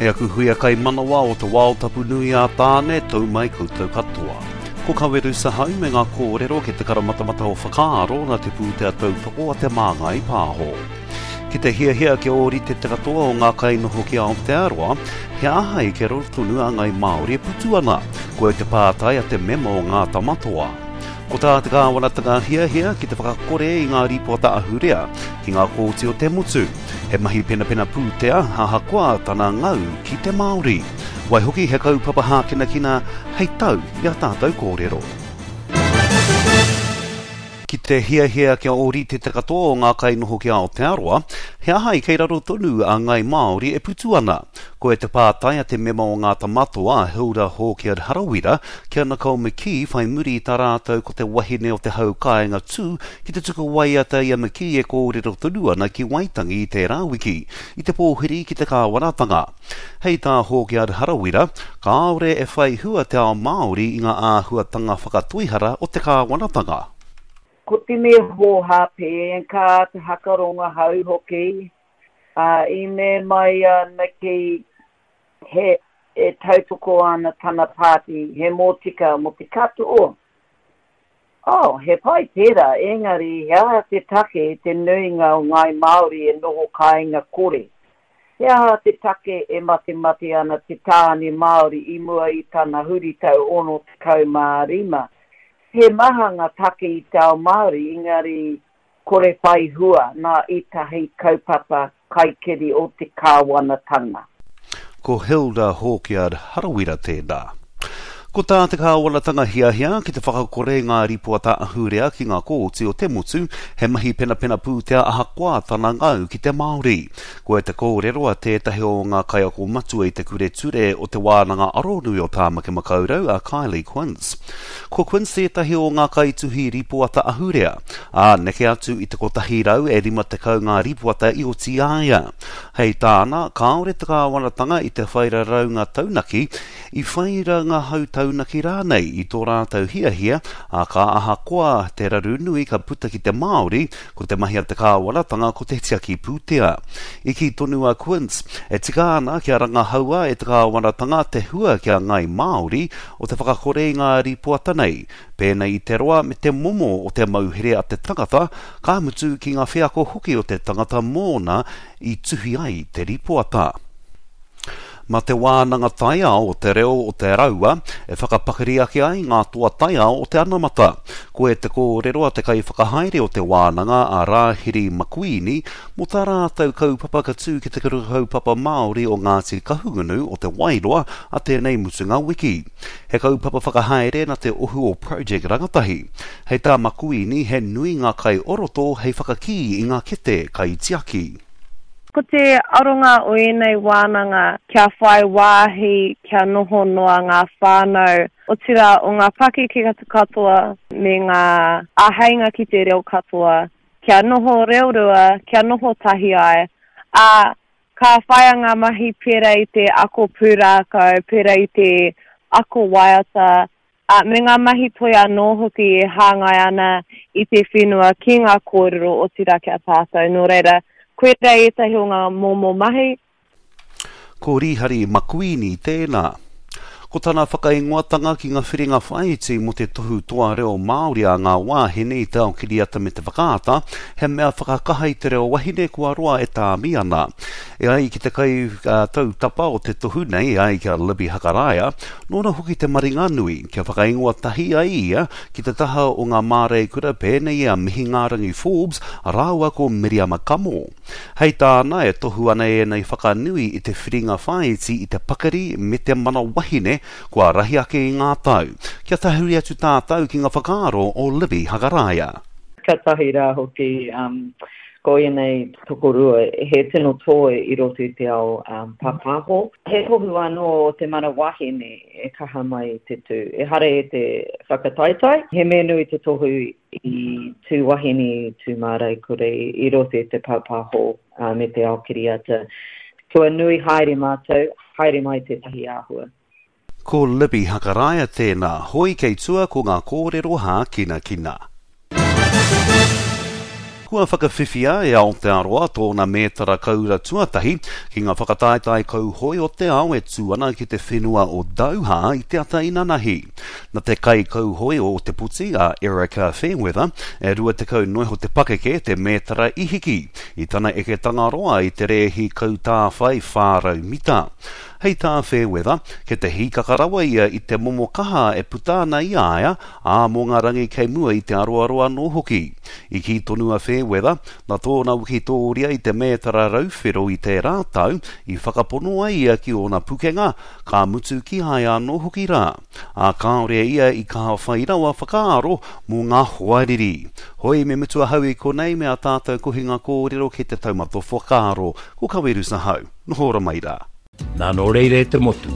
E aku huia kaimanawa o te wao tapu nui a Tāne, tau mai koutou katoa. Ko Kaweru Sahau me ngā kōrero ki te karamatamata o whakaaro nā te pūtea tautoko a Te Māngai Pāho. Ki te hiahia kia ōrite te katoa o ngā kainoho ki Aotearoa, he aha i kia raro tonu a Ngai Māori e putu ana? Koia te pātai a te mema o Ngā Tamatoa. Ko tā te kāwanatanga hiahia ki te whakakore i ngā rīpoata ahurea ki ngā kōti o te motu. He mahi penapena pūtea ahakoa tana ngau ki te Māori. Waihoki he kaupapa hākinakina hei tau i a tātou kōrero. Ki te hiahia kia ōrite te katoa o ngā kainoho ki Aotearoa, he aha i kei raro tonu a Ngai Māori e putu ana? Koia te pātai a te mema o Ngā Tamatoa, a Hilda Hawkyard Harawira, ki a Nicole McKee whai muri i tā rātou ko te wahine o te hau kāinga tū ki te tuku waiata i a McKee e kōrero tonu ana ki Waitangi i tērā wiki, i te pōhiri ki te kāwanatanga. Hei tā Hawkyard Harawira, kāore e whai hua te ao Māori i ngā āhuatanga whakatoihara o te kāwanatanga. Ko te mea hōhā pē, ka te hakaronga hau hoki, ā, i mea mai a Nikki he e tautoko ana tana pāti he mōtika mō te katoa. Oh, he pai tērā, engari he aha te take te nuinga o ngāi Māori e noho kāinga kore? He aha te take e matemate ana te tāne Māori i mua i tana huritau 65? He maha ngā take i te ao Māori, engari kore whai hua nā ētahi kaupapa kaikiri o te kāwanatanga. Ko Hilda Hawkyard Harawira tēnā. Ko tā te kāwanatanga hiahia ki te whakakore i ngā ripoata ahurea ki ngā kōti o te motu, he mahi penapena pūtea ahakoa tana ngau ki te Māori. Koia te kōrero a tētahi o ngā kaiako matua i te Kure Ture o Te Wānanga Aronui o Tāmaki Makaurau a Kylie Quince. Ko Quince tētahi o ngā kaituhi ripoata ahurea, ā, neke atu i te 100 e 50 ngā ripoata i oti i a ia. Hei tāna, kāore te kāwanatanga i te whai raraunga taunaki, i whai rangahau taunaki rānei i tō rātou hiahia, ā, ka ahakoa te raru nui ka puta ki te Māori, ko te mahi a te kāwanatanga ko te tiaki pūtea. I kī tonu a Quince, e tika ana kia rangahaua e te kāwanatanga te hua ki a Ngāi Māori o te whakakore i ngā ripoata nei, pēnei i te roa me te momo o te mauhere a te tangata, ka mutu ki ngā wheako hoki o te tangata mōna i tuhi ai te ripoata. Mā te wānanga taiao o te reo o te raua e whakapakari ake ai ngā toa taiao o te anamata. Koe te kōrero a te kaiwhakahaere o te wānanga a Rāhiri Makuini mō tā rātou kaupapa ka tū ki te Kura Kaupapa Māori o Ngāti Kahungunu o Te Wairoa a tēnei mutunga wiki. He kaupapa whakahaere na te ohu o Project Rangatahi. Hei tā Makuini he nui ngā kai o roto hei whakakī i ngā kete kaitiaki. Ko te aronga o ēnei wānanga kia whai wāhi kia noho noa ngā whānau, otirā o ngā pakeke katoa me ngā āheinga ki te reo katoa, kia noho reorua, kia noho tahi ai, ā, Ka whaia ngā mahi pērā i te ako pūrākau, pērā i te ako waiata, ā, me ngā mahi toi anō hoki e hāngai ana i te whenua ki ngā kōrero, otirā ki a tātou. Nō reira, koirā ētahi o ngā momo mahi. Ko Rīhari Makuini tēnā. Ko tana whakaingoatanga ki ngā whiringa whāiti mō te tohu toa reo Māori a ngā wāhine i te ao kiriata me te whakaata, he mea whakakaha i te reo wahine kua roa e tāmi ana. E ai ki te kaitautapa o te tohu nei, e ai ki a Libby Hakaraia, nōna hoki te maringanui kia whakaingoa tahi ai ia ki te taha o ngā māreikura pēnei i a Mihingārangi Forbes rāua ko Miriama Kamo. Hei tāna, e tohu ana ēnei whakanui i te whiringa whāiti i te pakari me te mana wahine kua rahi ake i ngā tau. Kia tahuri atu tātou ki ngā whakaaro o Libby Hakaraia. Katahi rā hoki, ko ēnei tokorua he tino toi i roto i te ao pāpāho. He tohu anō o te mana wahine e kaha mai te tū. Ehara i te whakataetae, he mea nui te tohu i tū wahine, i tū māreikura i roto i te pāpāho me te ao kiriata. Kua nui haere mātou, haere mai tētahi āhua. Ko Libby Hakaraia tēnā, hoi kei tua ko ngā kōrero hākinakina. Kua whakawhiwhia e Aotearoa tōna mētara koura tuatahi ki ngā whakataetae kauhoe o te ao e tū ana ki te whenua o Doha i te ata inanahi. Na te kaikauhoe o Ōtepoti, a Erika Fairweather, e 20 noa iho te pakeke, te mētara i hiki i tana eketanga roa i te rēhi kautāwhai 400 mita. Hei tā Fairweather, kei te hīkaka rawa ia i te momo kaha e puta ana i a ia, ā, mō ngā rangi kei mua i te aroaro anō hoki. I kī tonu a Fairweather, nā tōna wikitōria i te mētara rauwhero i tērā tau, i whakapono ai ia ki ōna pukenga, ka mutu ki a ia anō hoki rā. Ā, kāore ia i kaha whai rawa whakaaro mō ngā hoariri. Hoi, me mutu ahau i konei me ā tātou kohinga kōrero ki te taumata whakaaro. Ko Kawerusa hau. Noho ora mai rā. Nā nō reira e te motu,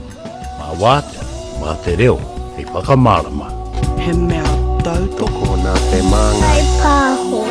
mā wātea, mā te reo hei whakamārama. He mea tautoko. Tokona te māngai. Whai pāho.